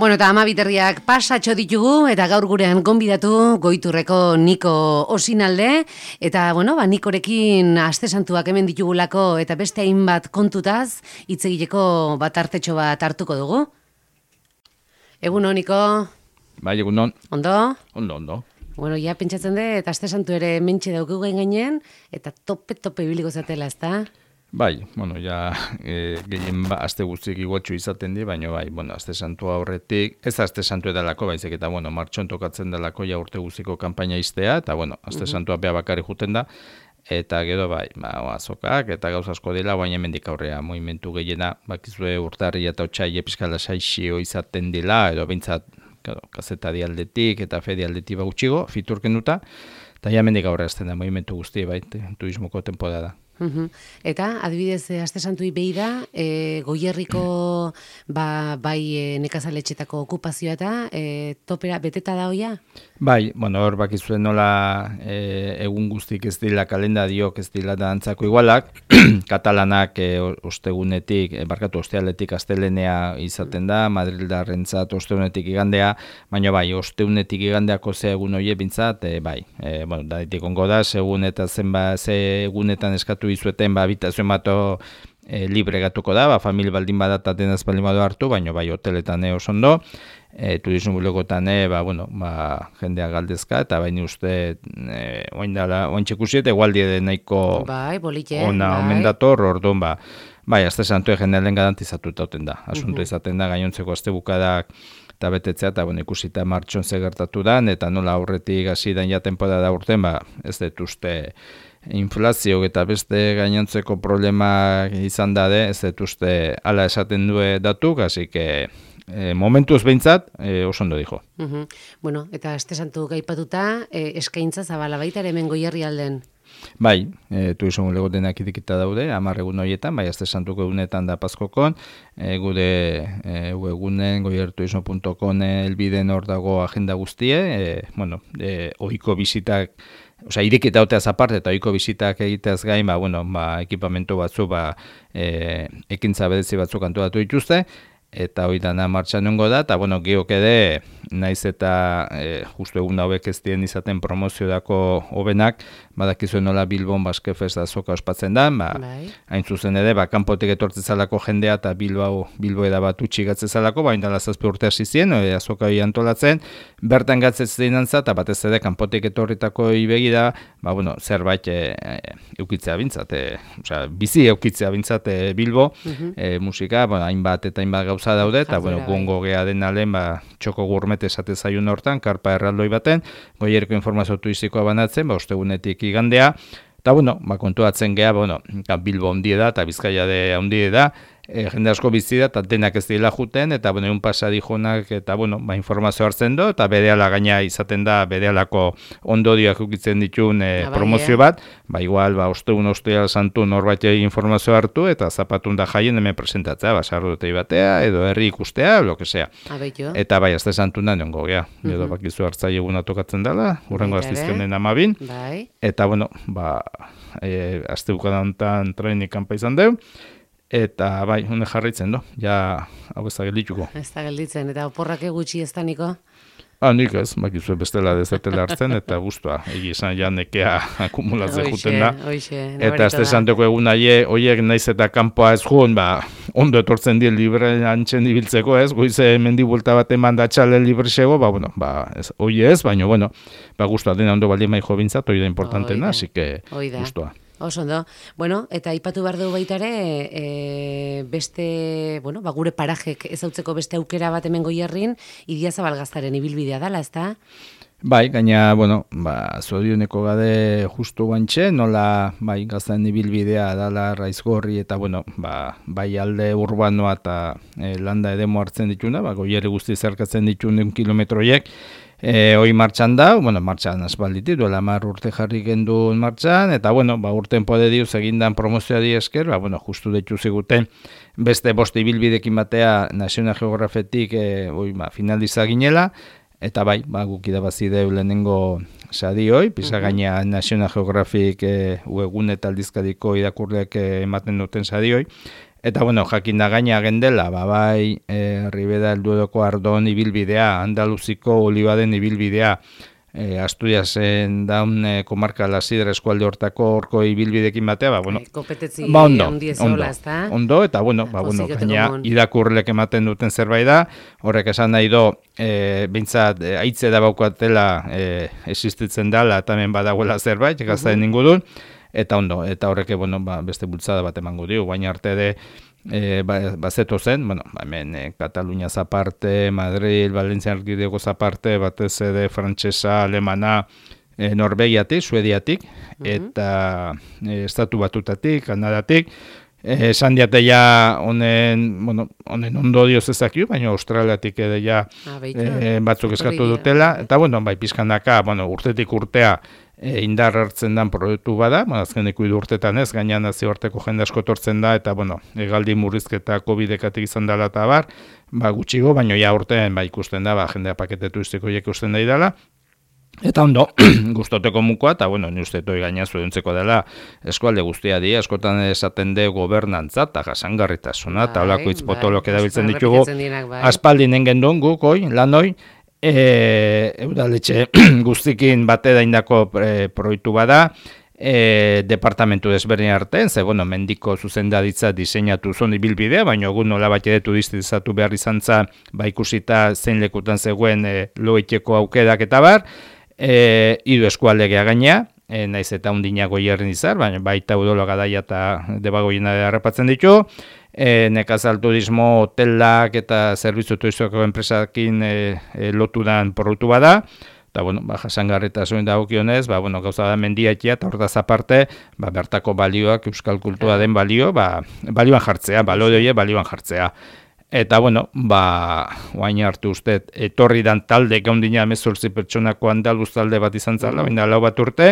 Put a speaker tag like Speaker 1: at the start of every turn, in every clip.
Speaker 1: Bueno, eta amabiterriak pasatxo ditugu, eta gaur gurean gonbidatu Goiturreko Niko Osinalde, eta, bueno, Nikorekin aste santuak hemen ditugulako, eta beste hainbat kontutaz, hitz egiteko bat artetxo bat hartuko dugu. Egunon, Niko?
Speaker 2: Bai, egunon.
Speaker 1: Ondo?
Speaker 2: Ondo.
Speaker 1: Bueno, ja, pentsatzen dut, eta aste santu ere mentxe dauku gainen, eta tope ibiliko zatela, ezta?
Speaker 2: Bai, bueno, ja, gehien aste guztiek igotxu izaten di, baina bai, bueno, aste santua horretik, ez aste santu edalako, baizik eta, bueno, martxon tokatzen dalako ja urte guztiko kanpaina iztea, eta, bueno, aste santua beha bakarri juten da, eta gero bai, azokak, eta gauz asko dela, baina hemendik aurrea, movimentu gehiena, bakizue urtarri eta otxai episkala saixio izaten dela, edo bintzat, kazetari aldetik eta fedi aldetik gutxigo, fiturken duta, eta ja hemendik aurrea azten da, movimentu guzti, bai, turismoko temporada.
Speaker 1: Eta, adibidez, aste santui behi da, Goierriko bai nekazaletxetako okupazioa eta topera beteta da hoia?
Speaker 2: Bai, bueno, hor bakizuen nola egun guztik ez dila kalendariok ez dila da antzako igualak, katalanak ostegunetik, ostealetik astelenea izaten da, Madrildarrentzat ostegunetik igandea, baina bai, ostegunetik igandeako ze egun hoie bintzat, bai, bueno, da ditik ongo da, segun eta ze egunetan eskatu izueten, habitazioen bato libre gatuko da, familia baldin badata denaz baldin badu hartu, baina bai, hoteletan oso ondo, turismo bulegotan, jendea galdezka, eta baina uste, oain txekusiet, egualdi edo nahiko ona omen dator, orduan, bai, aste santue jendea lehen garantizatuta oten da, asunto izaten da, gainontzeko aste bukadak, eta betetzea, eta ikusita martxon zegertatu da, eta nola aurretik hasi dan ja temporada urten, ez dut uste inflazio eta beste gainontzeko problema izan dade, ez dut uste ala esaten due datuk, hasi que momentuz behintzat, oso ondo dijo.
Speaker 1: Bueno, eta aste santu gaipatuta, eskaintza zabala baita ere hemen Goierri alden.
Speaker 2: Bai, turismo bulegotenak idikita daude, 10 egun horietan, bai, aste santuko egunetan da Pazkokon, gure webgunen goierturismo.com elbiden hor dago agenda guztie, ohiko bisitak, irekita hoteaz aparte eta ohiko bisitak egiteaz gain, ekipamentu batzu, ekintza bedezi batzuk antolatu dituzte, eta hori dana martxan nungo da, eta geok ere, naiz eta justu egun hauek ez dien izaten promoziodako hobenak, badakizuen nola Bilbon Baskefest azoka ospatzen da, hain zuzen ere, kanpotik etortzen zalako jendea eta Bilbo eda bat utxigatzen zalako, baina dala 7 urte hasi zien, azoka hori antolatzen, bertan gatzetzen dinantza, eta batez ere, kanpotik etorritako ibegi da, zerbait eukitzea bintzat, bizi eukitzea bintzat Bilbo, musika, hainbat eta hainbat gauza daude, eta gongo gea den alen, txoko gurmet esate zaiun hortan, karpa erraldoi baten, Goierriko informazio turistikoa banatzen, ostegunetik igandea, eta kontuatzen gea, Bilbo ondie da, eta Bizkaia de ondie da, jende asko bizi da, eta denak ez dira juten, eta egun pasa dijonak, eta informazio hartzen do, eta berehala gaina izaten da, berehalako ondorioak ukitzen ditun promozio bat, igual, osteal santu norbait informazio hartu, eta zapatun da jaien hemen presentatzea, sarrotei batea, edo herri ikustea, lo que sea. Eta bai, azte santu da niongo, edo bakizu hartzai eguna tokatzen dela, urrengo aztizkenen 12, eta, azte bukadantan trainik kanpa izan deu, eta bai, hone jarraitzen do, hau ez da geldituko.
Speaker 1: Ez da gelditzen, eta oporrak gutxi ez da, Niko?
Speaker 2: Nik ez, bakizue bestela dezatela hartzen, eta guztua, egizan nekea akumulatzen juten da. Eta azte santeko egun horiek naiz eta kanpoa ez joan, ondo etortzen dien libre antzen ibiltzeko ez, goize mendibulta bat eman da txale libre xego, hoi ez, baina, guztua dena ondo baldin mai jo bintzat, hori da importantena, así que guztua.
Speaker 1: Oso ondo. Bueno, eta aipatu behar dugu baita ere, beste, gure parajek ezautzeko beste aukera bat hemen Goierrin, Idiazabal Gaztaren ibilbidea dala, ezta?
Speaker 2: Bai, gaina, zorioneko gade justu guantxe, nola, Gaztaren ibilbidea dala Raizgorri, eta, bai alde urbanoa eta landa edemo hartzen dituna, Goierri guzti zerkatzen ditun kilometroiek, hoi martxan da, martxan asbalditi, duela 10 urte jarri gendun martxan, eta, urten pode diuz egindan promozioari esker, justu deitu ziguten, beste boste ibilbidekin batea National Geographetik finaliza ginela, eta guk idabazi deu lehenengo sadi hoi, pisa gaina National Geographic egun eta aldizkadiko irakurleak ematen duten sadi hoi, Eta, bueno, jakin da gaina gendela, bai, Ribera del Dueroko Ardon ibilbidea, Andaluziko Olibaden ibilbidea, Asturiasen daun komarka Lasidra eskualde hortako horko ibilbidekin batea, bueno,
Speaker 1: kompetetzi
Speaker 2: ondo, eta, bueno, gaina irakurlek ematen duten zerbait da, horrek esan nahi do, bintzat, aitze da baukatela existitzen dala, eta hemen badagoela zerbait, gaztaen ingudun, eta ondo, eta horrek, bueno, beste bultzada bat emango dio, baina arte de, bazeto zen, bueno, hemen Katalunia zaparte, Madrid, Valencia erkidego zaparte, batez ere frantsesa, alemana, Norvegiatik, Suediatik, eta Estatu Batutatik, Kanadatik, esan diate ja honen ondo dioz ezakiu, baina Australiatik ere ja batzuk eskatu dutela, eta bueno, bai, pizkanaka, urtetik urtea indar hartzen dan proiektu bada, azkeneko 3 urtetan ez, gaina nazioarteko jende asko etortzen da, eta hegaldi murrizketa COVID-ekatik izan dela eta bar, gutxigo, baina ja urtean ikusten da, jendea pakete turistiko ikusten da idala, eta ondo, gustoteko mukoa, eta ni uste toi gaina zuentzeko dela eskualde guztia di, askotan esaten de gobernantza eta jasangarritasuna, eta holako hitz potolok erabiltzen ditugu, aspaldinen gendun guk, lanoi, Udaletxe guztikin bate daindako proiektu bada, departamentu desberdin artean, ze, mendiko zuzendaritza diseinatu zon ibilbidea, baina egun nola bat edetu diztizatu behar izan za, ikusita zein lekutan zegoen loiteko aukerak eta bar, hiru eskualdegea gaina, naiz eta undina Goierrin izar, baina baita Udolo Gadaia eta Debagoiena errepatzen ditu, nekazal turismo, hotelak eta zerbitzu turistiko enpresakin lotudan produktu bada, eta, jasangarritasun dagokionez, gauza da mendiatia, eta hortaz aparte, bertako balioak, euskal kultura den balioan jartzea, balioan jartzea. Eta, oain hartu uste, etorri dan talde gaundina 18 pertsonako andaluz talde bat izan zala, baina lau bat urte,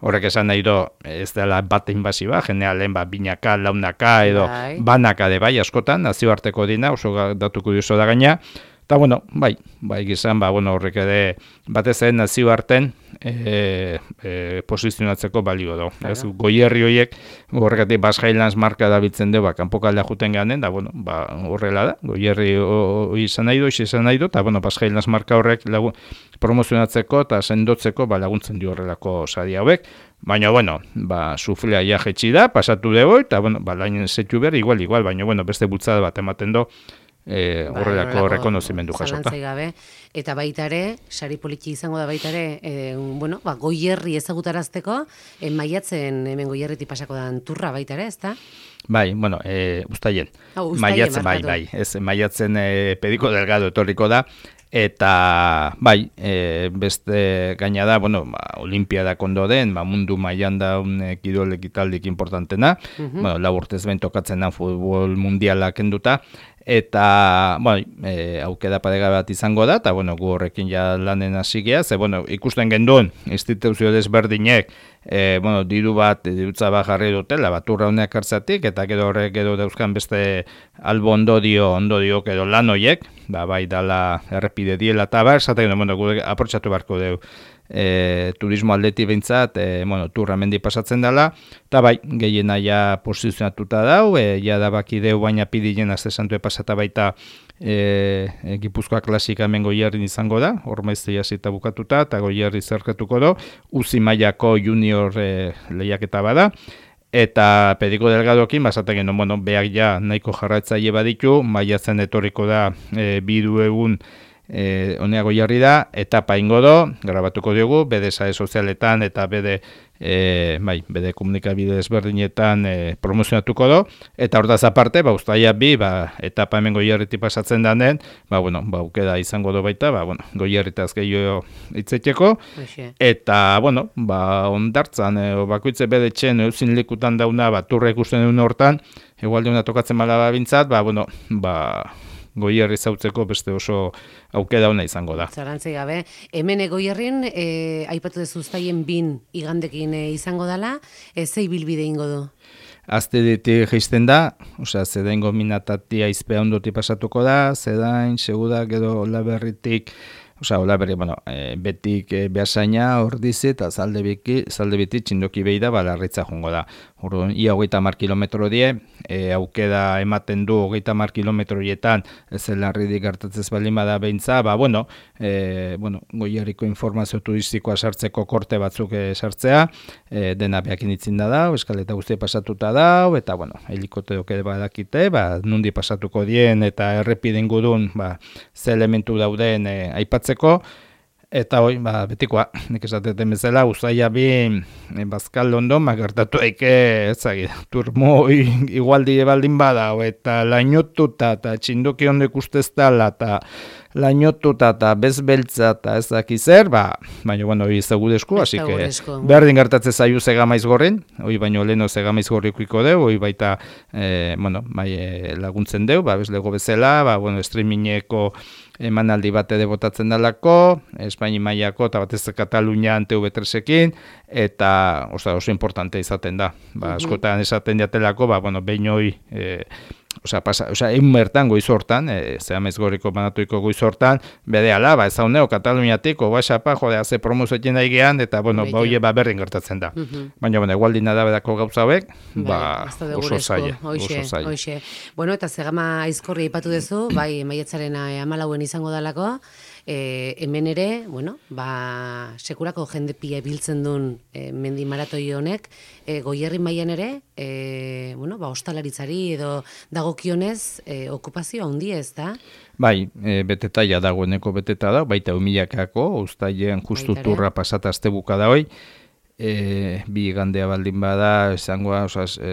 Speaker 2: horrek esan nahi do, ez dela bat inbasiba, generalen binaka, launaka, edo banaka de bai askotan, nazioarteko dina, oso datuko dioso da gaina, eta, bai gizan, horrek ere, batez ere nazioarten posizionatzeko balio do. Goierri horiek, horregatik Basque Highlands marka dabiltzen du, kanpokaldea juten ganen, da, horrela da, Goierri izan nahi du, eta, Basque Highlands marka horrek promozionatzeko eta sendotzeko laguntzen dio horrelako sari hauek. Baina, suflea ja jetxi da, pasatu dugu, eta, lainen zetu behar, igual, baina, beste bultzada bat ematen do, horrelako rekonozimendu jasota.
Speaker 1: Eta baita ere, sari politi izango da baita ere, Goierri ezagutarazteko, maiatzen hemen Goierriti pasako dan turra baita ere, ezta?
Speaker 2: Bai, ustaien. Maiatzen, bai. Ez, maiatzen Pediko Delgado etorriko da, eta beste gaina da, olimpiadak ondo den, mundu mailan da kirol ekitaldik importantena, laburtez behin tokatzen da futbol mundialak enduta, eta aukeda paregabe bat izango da, eta gu horrekin ja lanen hasi gea, ze ikusten genduen instituzio desberdinek dirutza bat jarri dutela, baturra honeak hartzatik, eta gero horrek edo dauzkan beste albo ondodio edo lan hoiek, bai dala errepide diela eta bar, esaten gu aprotxatu barko dugu turismo aldeti behintzat, turra mendi pasatzen dela, eta gehiena ja posizionatuta dau, ja da baki deu baina pidilen azte santue pasata baita Gipuzkoa klasika hemen Goierrin izango da, hor maizte jasita bukatuta, eta Goierri zerkatuko do, uzi mailako junior lehiaketa bada, eta Pediko Delgadokin, basaten genuen, behar ja nahiko jarraitzaile baditu, maiatzen etorriko da bidu egun honea Goierri da, etapa ingo do, grabatuko diogu, bede sare sozialetan eta bede komunikabide ezberdinetan promozionatuko do, eta hortaz aparte, uztaila bi, etapa hemen Goierriti pasatzen danen, aukeda izango do baita, Goierritaz gehiago hitzeteko, eta, ondartzan, bakoitze bede txen, euzin likutan dauna, turra ikusten duen hortan, egualdeuna tokatzen bala bintzat, Goierri zautzeko beste oso aukeda ona izango da.
Speaker 1: Zarantzi gabe, hemen Goierrin, aipatu dezu uztaien 2 igandekin izango dela, zei bilbide ingo du?
Speaker 2: Azte ditik geizten da, zedaingo minatatia izpea ondoti pasatuko da, zedain, segudak edo laberritik, Osa, hola bere, bueno, betik behasaina, ordizi eta zalde biti txindoki behi da, larritza jongo da. Orduan, ia 30 kilometro die, aukeda ematen du 30 kilometroietan, ez larridik gertatzez baldin bada behintza, Goierriko informazio turistikoa sartzeko korte batzuk sartzea, dena behakin itzin da, eskaleta guztia pasatuta da, eta, helikoteok ere badakite, nundi pasatuko dien, eta errepiden gudun, ze elementu dauden aipatzeko, eta hoi, betikoa, nik esateten bezala, usaia bi Bazkal London, gertatu eke, turmo igualdi baldin bada, eta lainotuta, eta txindoki ondek usteztala, eta lainotuta, eta bezbeltza, eta ez daki zer, baina, hori zegudezko, así que, berdin gertatze zaiu Zegamaiz gorrin, hori baino leheno Zegamaiz gorrikuiko deu, hori baita, laguntzen deu, bezlego bezala, streamingeko emanaldi bate botatzen dalako, Espaini mailako eta batez Katalunian TV3ekin, eta oso importante izaten da. Askotan esaten jatelako, behin hoi, egun bertan goiz hortan, Zegamaiz gorriko banatuiko goiz hortan, bedeala, ez hauneo Kataluniatik, obaxapa, ze promozoekin daigean, eta hoi berdin gertatzen da. Baina, egualdina da bedako gauza hauek, oso zaila.
Speaker 1: Bueno, eta Zegama aizkorri aipatu duzu, maiatzaren 14 izango dalako, hemen ere, sekurako jende pila biltzen duen mendi maratoi honek, Goierri mailan ere, ostalaritzari edo dagokionez okupazio handia ez da?
Speaker 2: Bai, beteta ja dagoeneko beteta da, baita 1000-ako, uztailean justu turra pasata astebuka da hoi, bi igandea baldin bada izangoa,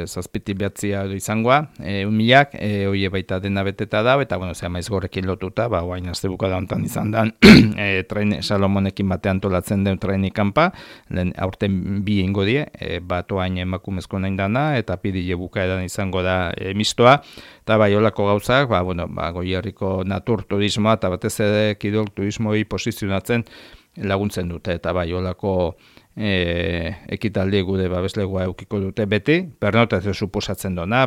Speaker 2: zazpiti behatzia edo izangoa, 1000-ak, hoi baita dena beteta da, eta Zegamaiz gorrekin lotuta, oain astebuka da hontan izan da, Salomonekin batean antolatzen den traini kanpa, aurten bi ingo die, bat oain emakumezko nahin dana, eta pidile bukaeran izango da mistoa, eta olako gauzak, Goierriko natur turismoa, eta batez ere kirol turismoi posizionatzen laguntzen dute, eta olako ekitaldi gude babeslegoa eukiko dute beti, pernotazio suposatzen dona,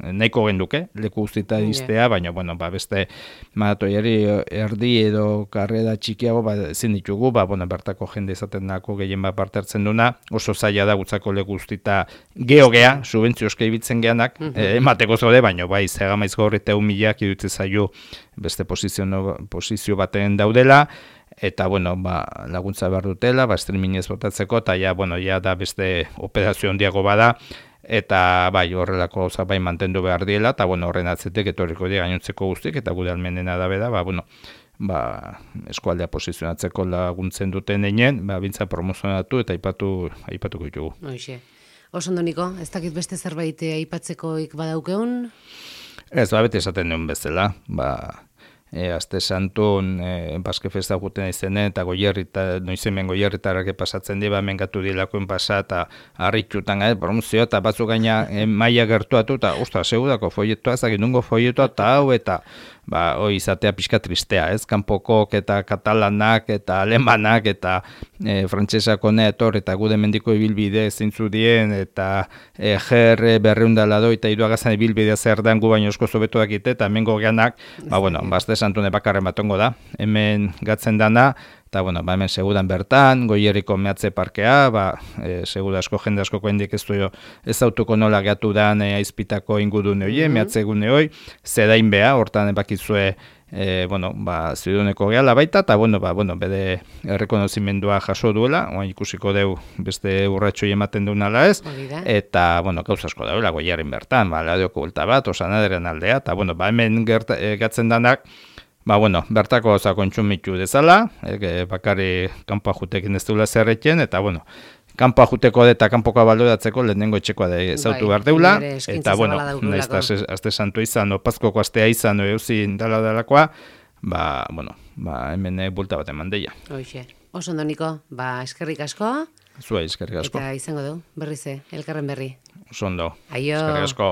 Speaker 2: nahiko genduke, leku guztita iztea, baina, beste maratoiari erdi edo karrera txikiago ezin ditugu, bertako jende izaten dako gehien bat parte hartzen duna, oso zaila da gutzako leku guztita geogea, subentzioske ibitzen geanak, emateko zode, baina Zegamaiz gorri eta 1000-ak iruditzen zaio beste posizio baten daudela, eta, laguntza behar dutela, streamingez botatzeko, eta, da beste operazio handiago bada, eta, horrelako gauza mantendu behar diela, eta, horren atzetek etorriko dira gainontzeko guztik, eta gure almenena da beda, eskualdea posizionatzeko laguntzen duten einen, bintza promozionatu eta aipatuko ditugu.
Speaker 1: Oso ondo, Niko, ez dakit beste zerbait aipatzekoik badaukeun?
Speaker 2: Ez, bete esaten duen bezala, Aste santun Baske festa guten izenen, eta noizemen Goierritarrak pasatzen dira, mengatu dilakoen pasa, eta harritxutan, promozioa, eta batzuk gaina maila gertuatu, eta segudako foietoa, ezagin nungo foietoa, eta hau, eta hoi izatea pixka tristea, kanpokok eta katalanak, eta alemanak, eta frantsesako neator, eta gude mendiko ibilbide zintzu dien, eta GR berreundalado, eta iruagazan ibilbidea zer den gu baino esko zobetu dakite, eta hemengo geanak, Aste santune bakarren batongo da, hemen gatzen dana, eta, hemen segudan bertan, Goierriko mehatze parkea, seguda asko jende asko koendik ez autuko nola geatu dan aizpitako ingudune hoi, mehatze gune hoi, zedain beha, hortan bakizue, ziduneko gehala baita, eta, bede errekonozimendua jaso duela, ikusiko deu beste urratxoi ematen duenala ez, eta, gauz asko dauela Goierrin bertan, ladeoko bulta bat, Osanaderen aldea, eta, hemen gatzen danak, bertako gauza kontsumitu dezala, bakari kanpoa jutekin ez duela zerretien, eta, kanpoa juteko eta kanpoka baloratzeko lehenengo etxekoa da ezautu behar deula, eta, nahiz eta aste santu izan, opazkoko astea izan, euzin dalakoa, hemen bulta bat eman deia.
Speaker 1: Oso ondo, Niko, eskerrik asko.
Speaker 2: Zua, eskerrik asko.
Speaker 1: Eta izango du, berrize, elkarren berri.
Speaker 2: Oso ondo,
Speaker 1: Aio.
Speaker 2: Eskerrik asko.